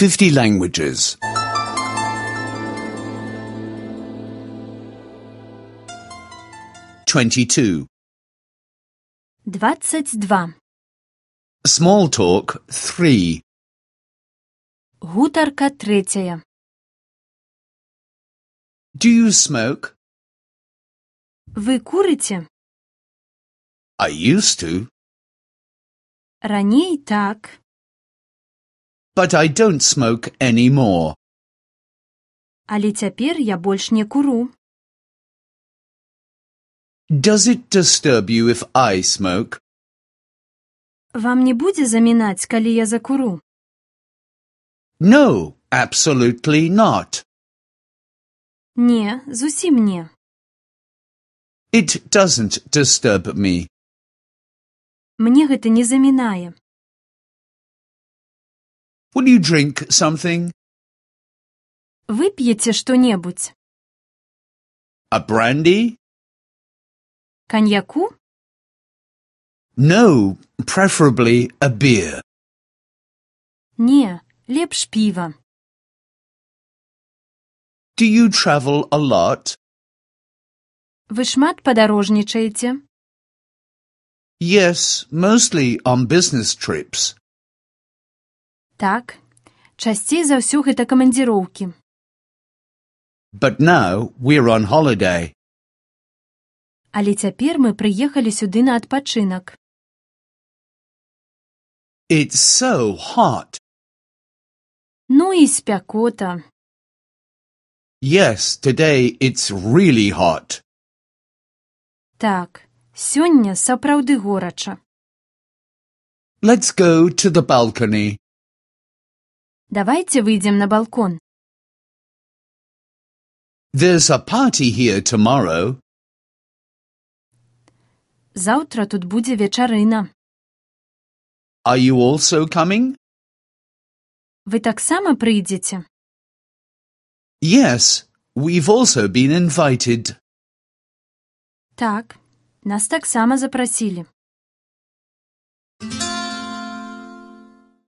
50 languages. 22. 22. Small talk 3. Гутарка третя. Do you smoke? Ви курите? I used to, Раней так. but I don't smoke anymore. Але цяпер я больш не куру. Does it disturb you if I smoke? Вам не будзе замінаць, калі я закуру? No, absolutely not. Не, зусім не. It doesn't disturb me. Мне гэта не замінае. Will you drink something? Вып'еце што-небудзь? A brandy? Каньяку? No, preferably a beer. Не, лепш піва. Do you travel a lot? Вы шмат падарожнічаеце? Yes, mostly on business trips. Так, часцей за ўсё гэта камандзіроўкі. But now we're on holiday. Але цяпер мы прыехалі сюды на адпачынак. It's so hot. Ну і спякота. Yes, today it's really hot. Так, сёння сапраўды горача. Let's go to the balcony. Давайце выйдзем на балкон. There's a party here tomorrow. Заўтра тут будзе вечарына. Are you also coming? Вы таксама прыйдзеце? Yes, we've also been invited. Так, нас таксама запрасілі.